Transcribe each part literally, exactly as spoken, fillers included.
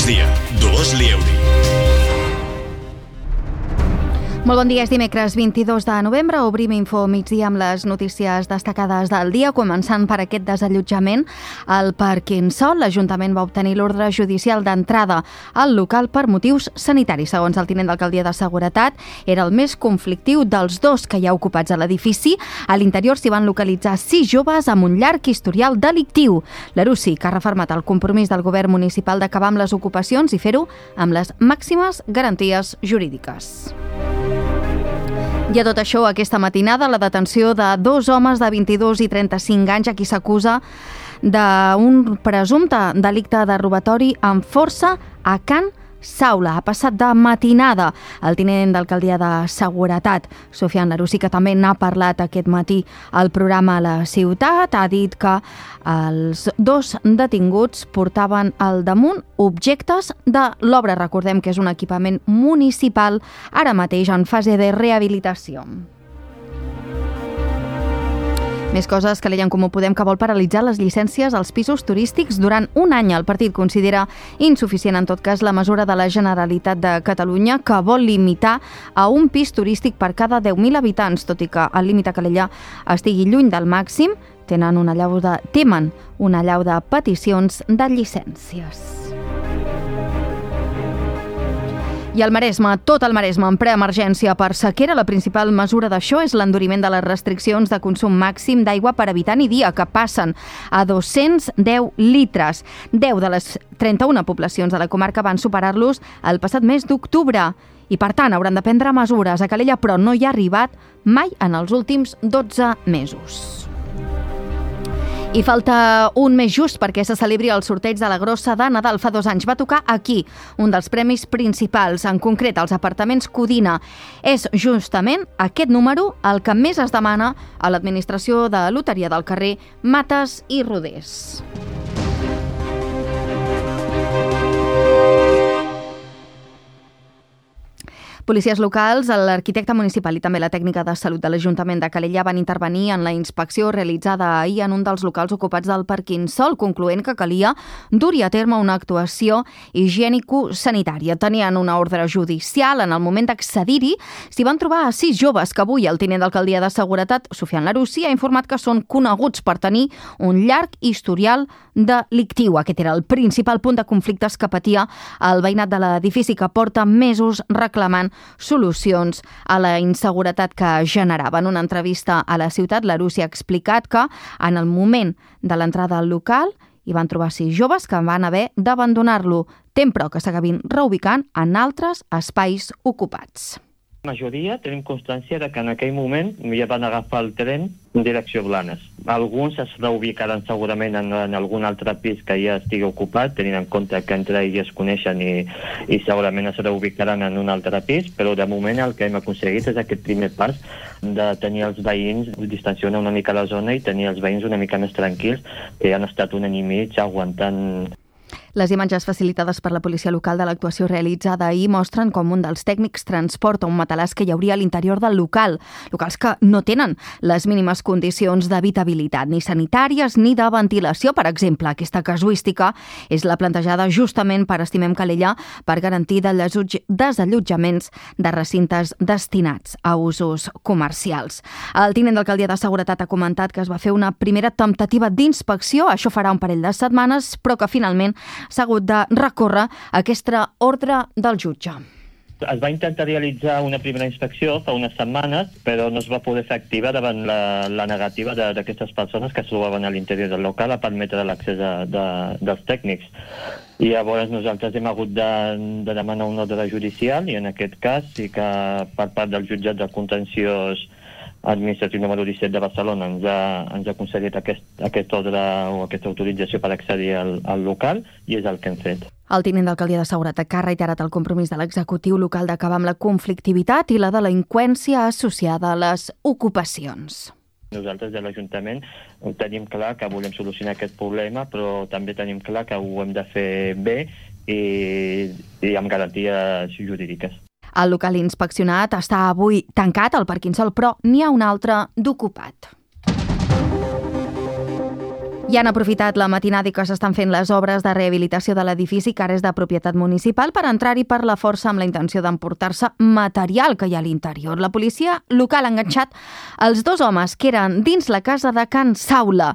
migdia, Dolors Lieuri. Molt bon dia, és dimecres vint-i-dos de novembre. Obrim Info Migdia amb les notícies destacades del dia, començant per aquest desallotjament al Parquinsol. L'Ajuntament va obtenir l'ordre judicial d'entrada al local per motius sanitaris. Segons el tinent d'alcaldia de Seguretat, era el més conflictiu dels dos que hi ha ocupats a l'edifici. A l'interior s'hi van localitzar sis joves amb un llarg historial delictiu. L'Arusi, que ha refermat el compromís del govern municipal d'acabar amb les ocupacions i fer-ho amb les màximes garanties jurídiques. I a tot això, aquesta matinada, la detenció de dos homes de vint-i-dos i trenta-cinc anys a qui s'acusa d'un presumpte delicte de robatori amb força a Can Saula. Ha passat de matinada el tinent d'alcaldia de Seguretat, Sofian Larusi, que també n'ha parlat aquest matí al programa La Ciutat. Ha dit que els dos detinguts portaven al damunt objectes de l'obra. Recordem que és un equipament municipal ara mateix en fase de rehabilitació. Més coses que l'Ella en Comú Podem, que vol paralitzar les llicències als pisos turístics durant un any. El partit considera insuficient, en tot cas, la mesura de la Generalitat de Catalunya, que vol limitar a un pis turístic per cada deu mil habitants, tot i que el límit a Calella estigui lluny del màxim. Tenen una allau de, temen una allau de peticions de llicències. I el Maresme, tot el Maresme en preemergència per sequera. La principal mesura d'això és l'enduriment de les restriccions de consum màxim d'aigua per habitant i dia, que passen a dos-cents deu litres. deu de les trenta-una poblacions de la comarca van superar-los el passat mes d'octubre i, per tant, hauran de prendre mesures. A Calella, però, no hi ha arribat mai en els últims dotze mesos. I falta un mes just perquè se celebri el sorteig de la Grossa de Nadal. Fa dos anys va tocar aquí, un dels premis principals, en concret els apartaments Codina. És justament aquest número el que més es demana a l'administració de loteria del carrer Mates i Rodés. Policies locals, l'arquitecte municipal i també la tècnica de salut de l'Ajuntament de Calella van intervenir en la inspecció realitzada ahir en un dels locals ocupats del Parquinsol, concloent que calia dur-hi a terme una actuació higiènico-sanitària. Tenien una ordre judicial. En el moment d'accedir-hi s'hi van trobar a sis joves que avui el tinent d'alcaldia de Seguretat, Sofian Larusi, ha informat que són coneguts per tenir un llarg historial delictiu. Aquest era el principal punt de conflictes que patia el veïnat de l'edifici, que porta mesos reclamant solucions a la inseguretat que generava. En una entrevista a La Ciutat, Larusi ha explicat que en el moment de l'entrada al local hi van trobar sis joves que van haver d'abandonar-lo. Tem, però, que s'acabin reubicant en altres espais ocupats. La majoria tenim constància de que en aquell moment ja van agafar el tren en direcció Blanes. Alguns es reubicaran segurament en, en algun altre pis que ja estigui ocupat, tenint en compte que entre ells es coneixen i, i segurament es reubicaran en un altre pis, però de moment el que hem aconseguit és aquest primer pas de tenir els veïns, distanciar una mica la zona i tenir els veïns una mica més tranquils, que han estat un any i mig aguantant. Les imatges facilitades per la policia local de l'actuació realitzada ahir mostren com un dels tècnics transporta un matalàs que hi hauria a l'interior del local. Locals que no tenen les mínimes condicions d'habitabilitat, ni sanitàries ni de ventilació, per exemple. Aquesta casuística és la plantejada justament per Estimem Calella per garantir desallotjaments de recintes destinats a usos comercials. El tinent d'alcaldia de Seguretat ha comentat que es va fer una primera temptativa d'inspecció, això farà un parell de setmanes, però que finalment s'ha hagut de recórrer aquesta ordre del jutge. Es va intentar realitzar una primera inspecció fa unes setmanes, però no es va poder fer activa davant la, la negativa d'aquestes persones que es trobaven a l'interior del local a permetre l'accés de, de, dels tècnics. I llavors nosaltres hem hagut de, de demanar una ordre judicial i en aquest cas sí que per part del jutjat de contenciós administratiu número disset de Barcelona ens ha, ens ha concedit aquest, aquest ordre o aquesta autorització per accedir al, al local i és el que hem fet. El tinent d'alcaldia de Seguretat ha reiterat el compromís de l'executiu local d'acabar amb la conflictivitat i la delinqüència associada a les ocupacions. Nosaltres de l'Ajuntament tenim clar que volem solucionar aquest problema, però també tenim clar que ho hem de fer bé i, i amb garanties jurídiques. El local inspeccionat està avui tancat al Parquinsol, però n'hi ha un altre d'ocupat. I han aprofitat la matinada que s'estan fent les obres de rehabilitació de l'edifici, que ara és de propietat municipal, per entrar-hi per la força amb la intenció d'emportar-se material que hi ha a l'interior. La policia local ha enganxat els dos homes que eren dins la casa de Can Saula.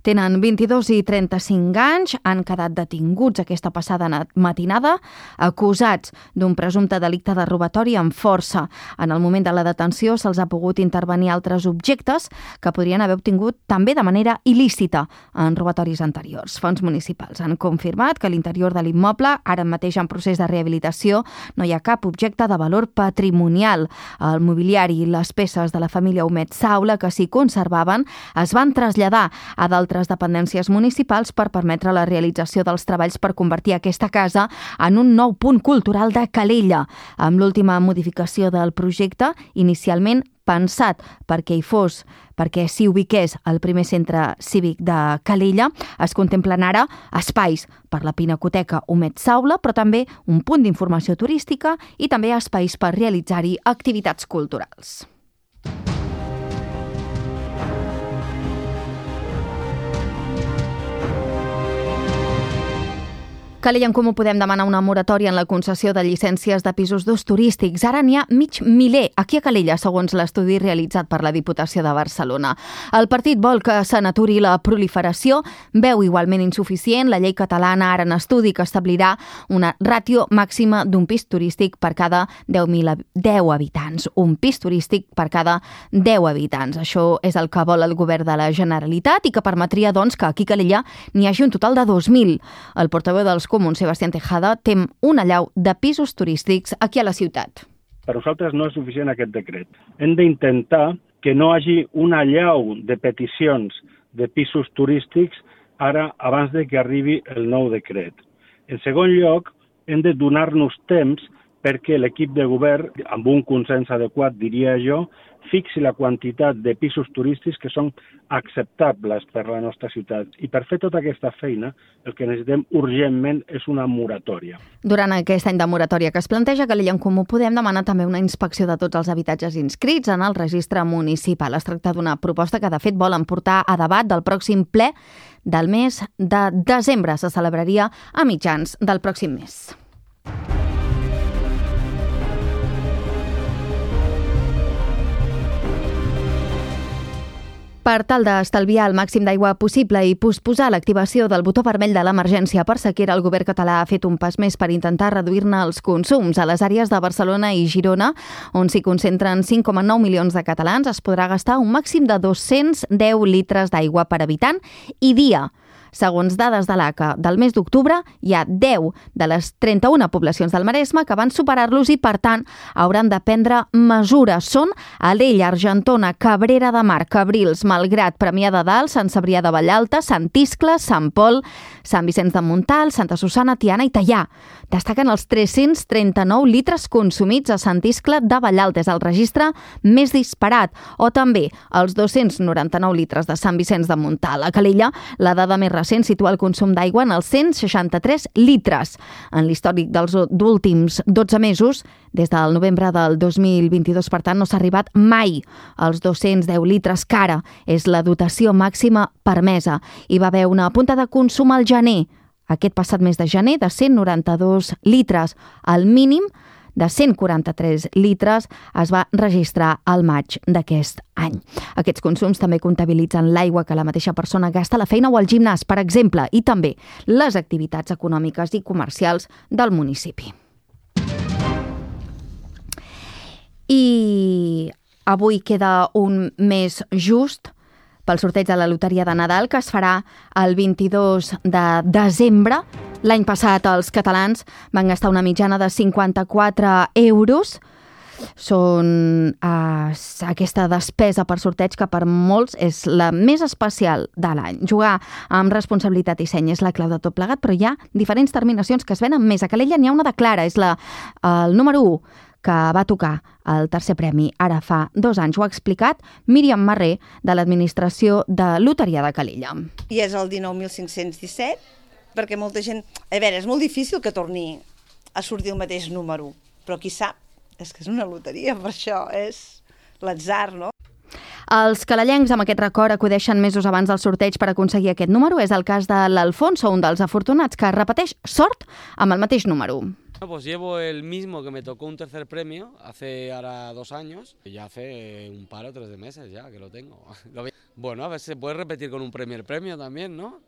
Tenen vint-i-dos i trenta-cinc anys, han quedat detinguts aquesta passada matinada, acusats d'un presumpte delicte de robatori amb força. En el moment de la detenció se'ls ha pogut intervenir altres objectes que podrien haver obtingut també de manera il·lícita en robatoris anteriors. Fons municipals han confirmat que a l'interior de l'immoble, ara mateix en procés de rehabilitació, no hi ha cap objecte de valor patrimonial. El mobiliari i les peces de la família Humet Saula que s'hi conservaven es van traslladar a d'altres dependències municipals per permetre la realització dels treballs per convertir aquesta casa en un nou punt cultural de Calella. Amb l'última modificació del projecte, inicialment pensat perquè hi fos, perquè s'hi ubiqués el primer centre cívic de Calella, es contemplen ara espais per la Pinacoteca Humet Saula, però també un punt d'informació turística i també espais per realitzar-hi activitats culturals. Calella en Comú Podem demana una moratòria en la concessió de llicències de pisos d'ús turístics. Ara n'hi ha mig miler aquí a Calella, segons l'estudi realitzat per la Diputació de Barcelona. El partit vol que se n'aturi la proliferació, veu igualment insuficient la llei catalana ara en estudi que establirà una ràtio màxima d'un pis turístic per cada deu mil habitants. Un pis turístic per cada deu habitants. Això és el que vol el govern de la Generalitat i que permetria doncs, que aquí a Calella n'hi hagi un total de dos mil. El portaveu dels Comuns, Sebastián Tejada, tem un allau de pisos turístics aquí a la ciutat. Per nosaltres no és suficient aquest decret. Hem d'intentar que no hi hagi un allau de peticions de pisos turístics ara abans de que arribi el nou decret. En segon lloc, hem de donar-nos temps perquè l'equip de govern, amb un consens adequat, diria jo, fixi la quantitat de pisos turístics que són acceptables per la nostra ciutat. I per fer tota aquesta feina, el que necessitem urgentment és una moratòria. Durant aquest any de moratòria que es planteja, Calella en Comú Podem demana també una inspecció de tots els habitatges inscrits en el registre municipal. Es tracta d'una proposta que, de fet, volen portar a debat del pròxim ple del mes de desembre. Se celebraria a mitjans del pròxim mes. Per tal d'estalviar el màxim d'aigua possible i posposar l'activació del botó vermell de l'emergència per sequera, el govern català ha fet un pas més per intentar reduir-ne els consums. A les àrees de Barcelona i Girona, on s'hi concentren cinc coma nou milions de catalans, es podrà gastar un màxim de dos-cents deu litres d'aigua per habitant i dia. Segons dades de l'A C A del mes d'octubre, hi ha deu de les trenta-una poblacions del Maresme que van superar-los i, per tant, hauran de prendre mesures. Són Alella, Argentona, Cabrera de Mar, Cabrils, Malgrat, Premià de Dalt, Sant Cebrià de Vallalta, Sant Iscle, Sant Pol, Sant Vicenç de Montalt, Santa Susana, Tiana i Teià. Destaquen els tres-cents trenta-nou litres consumits a Sant Iscle de Vallalta, és el registre més disparat, o també els dos-cents noranta-nou litres de Sant Vicenç de Montalt. A Calella, la dada més recent situa el consum d'aigua en els cent seixanta-tres litres. En l'històric dels últims dotze mesos, des del novembre del dos mil vint-i-dos, per tant, no s'ha arribat mai als dos-cents deu litres, que ara és la dotació màxima permesa. Hi va haver una punta de consum al gener, aquest passat mes de gener, de cent noranta-dos litres. El mínim de cent quaranta-tres litres es va registrar al maig d'aquest any. Aquests consums també comptabilitzen l'aigua que la mateixa persona gasta a la feina o al gimnàs, per exemple, i també les activitats econòmiques i comercials del municipi. I avui queda un mes just pel sorteig de la loteria de Nadal, que es farà el vint-i-dos de desembre. L'any passat els catalans van gastar una mitjana de cinquanta-quatre euros. Són eh, aquesta despesa per sorteig que per molts és la més especial de l'any. Jugar amb responsabilitat i seny és la clau de tot plegat, però hi ha diferents terminacions que es venen més. A Calella n'hi ha una de clara, és la, el número u, que va tocar el tercer premi ara fa dos anys. Ho ha explicat Míriam Marré, de l'Administració de Loteria de Calella. I és el dinou mil cinc-cents disset, perquè molta gent... A veure, és molt difícil que torni a sortir el mateix número, però qui sap, és que és una loteria, per això és l'atzar, no? Els calellencs amb aquest record acudeixen mesos abans del sorteig per aconseguir aquest número. És el cas de l'Alfonso, un dels afortunats que repeteix sort amb el mateix número. Pues llevo el mismo que me tocó un tercer premio hace ahora dos años, y ya hace un par o tres de meses ya que lo tengo. Bueno, a ver si se puede repetir con un primer premio también, ¿no?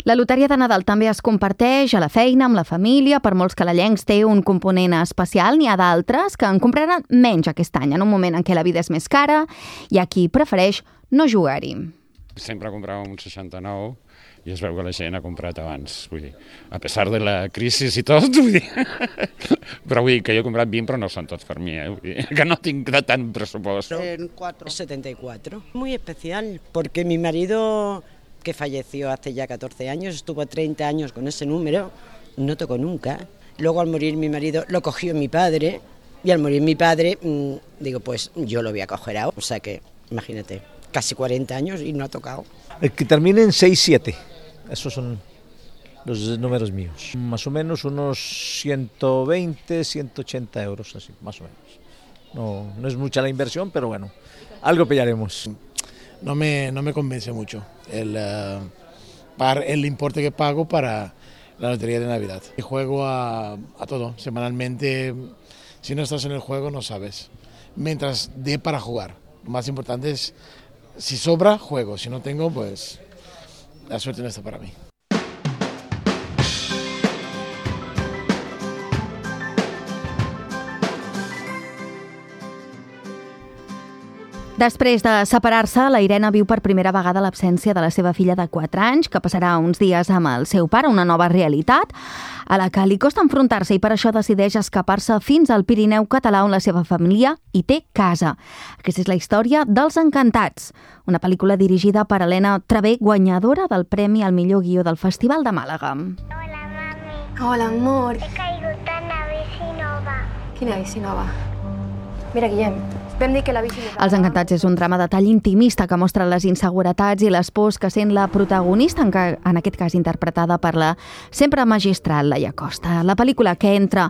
La loteria de Nadal també es comparteix a la feina, amb la família. Per molts calellencs té un component especial. N'hi ha d'altres que en compraran menys aquest any, en un moment en què la vida és més cara. Hi ha qui prefereix no jugar-hi. Sempre compràvem un seixanta-nou i es veu que la gent ha comprat abans. Vull dir, a pesar de la crisi i tot, vull dir. Però vull dir que jo he comprat vint, però no són tots per mi, eh? Vull dir, que no tinc de tant pressupost. En setenta y cuatro. Muy especial, porque mi marido, que falleció hace ya catorce años, estuvo treinta años con ese número, no tocó nunca. Luego al morir mi marido lo cogió mi padre, y al morir mi padre, mmm, digo, pues yo lo voy a coger ahora. O sea que, imagínate, casi cuarenta años y no ha tocado. El que termine en seis siete, esos son los números míos. Más o menos unos ciento veinte, ciento ochenta euros, así, más o menos. No, no es mucha la inversión, pero bueno, algo pillaremos. No me, no me convence mucho el, uh, par, el importe que pago para la lotería de Navidad. Y juego a, a todo, semanalmente. Si no estás en el juego no sabes, mientras dé para jugar. Lo más importante es, si sobra, juego, si no tengo, pues la suerte no está para mí. Després de separar-se, la Irene viu per primera vegada l'absència de la seva filla de quatre anys, que passarà uns dies amb el seu pare, una nova realitat, a la que li costa enfrontar-se i per això decideix escapar-se fins al Pirineu català, on la seva família hi té casa. Aquesta és la història dels Encantats, una pel·lícula dirigida per Helena Travé, guanyadora del Premi al millor guió del Festival de Màlaga. Hola, mami. Hola, amor. He caigut en la bici nova. Quina bici nova? Mira, Guillem, vam dir que la bici... Els Encantats és un drama de tall intimista que mostra les inseguretats i les pors que sent la protagonista, en, que, en aquest cas interpretada per la sempre magistral Laia Costa. La pel·lícula, que entra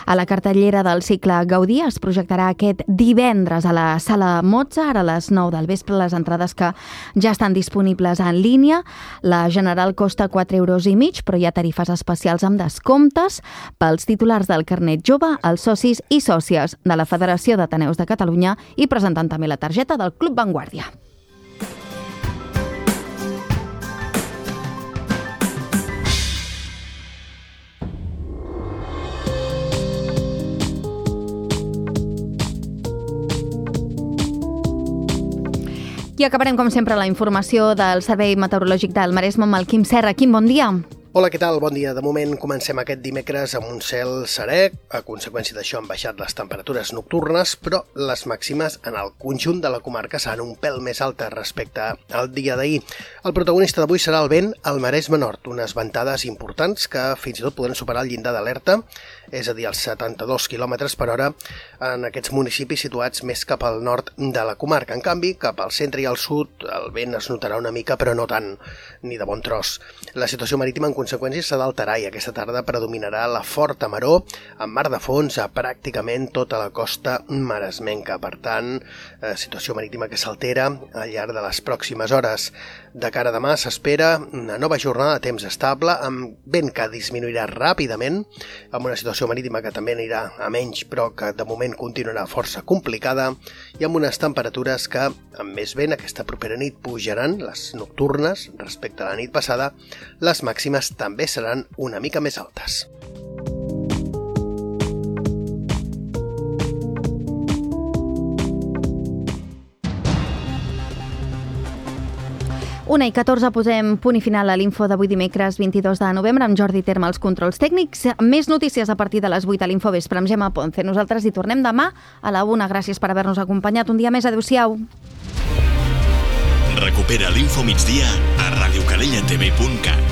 a la cartellera del cicle Gaudí, es projectarà aquest divendres a la Sala Mozart a les nou del vespre. Les entrades, que ja estan disponibles en línia. La general costa quatre euros i mig, però hi ha tarifes especials amb descomptes pels titulars del carnet jove, els socis i sòcies de la Federació d'Ateneus de Catalunya i presentant també la targeta del Club Vanguardia. I acabarem, com sempre, la informació del Servei Meteorològic del Maresme amb el Quim Serra. Quim, bon dia. Hola, què tal? Bon dia. De moment comencem aquest dimecres amb un cel serè. A conseqüència d'això han baixat les temperatures nocturnes, però les màximes en el conjunt de la comarca seran un pèl més altes respecte al dia d'ahir. El protagonista d'avui serà el vent al Maresme Nord, unes ventades importants que fins i tot poden superar el llindar d'alerta, és a dir, els setanta-dos quilòmetres per hora en aquests municipis situats més cap al nord de la comarca. En canvi, cap al centre i al sud el vent es notarà una mica, però no tant, ni de bon tros. La situació marítima en conseqüència s'ha d'alterar i aquesta tarda predominarà la forta maror amb mar de fons a pràcticament tota la costa maresmenca. Per tant, eh, situació marítima que s'altera al llarg de les pròximes hores. De cara a demà s'espera una nova jornada de temps estable amb vent que disminuirà ràpidament, amb una situació marítima que també anirà a menys però que de moment continuarà força complicada i amb unes temperatures que amb més vent aquesta propera nit pujaran, les nocturnes respecte a la nit passada, les màximes també seran una mica més altes. Una i catorze posem punt i final a l'info d'avui dimecres vint-i-dos de novembre amb Jordi Terme als controls tècnics. Més notícies a partir de les vuit a l'Infovespre amb Gemma Ponce. Nosaltres hi tornem demà a la una. Gràcies per haver-nos acompanyat un dia més. Adéu-siau. Recupera l'Info migdia a radiocalellatv punt cat.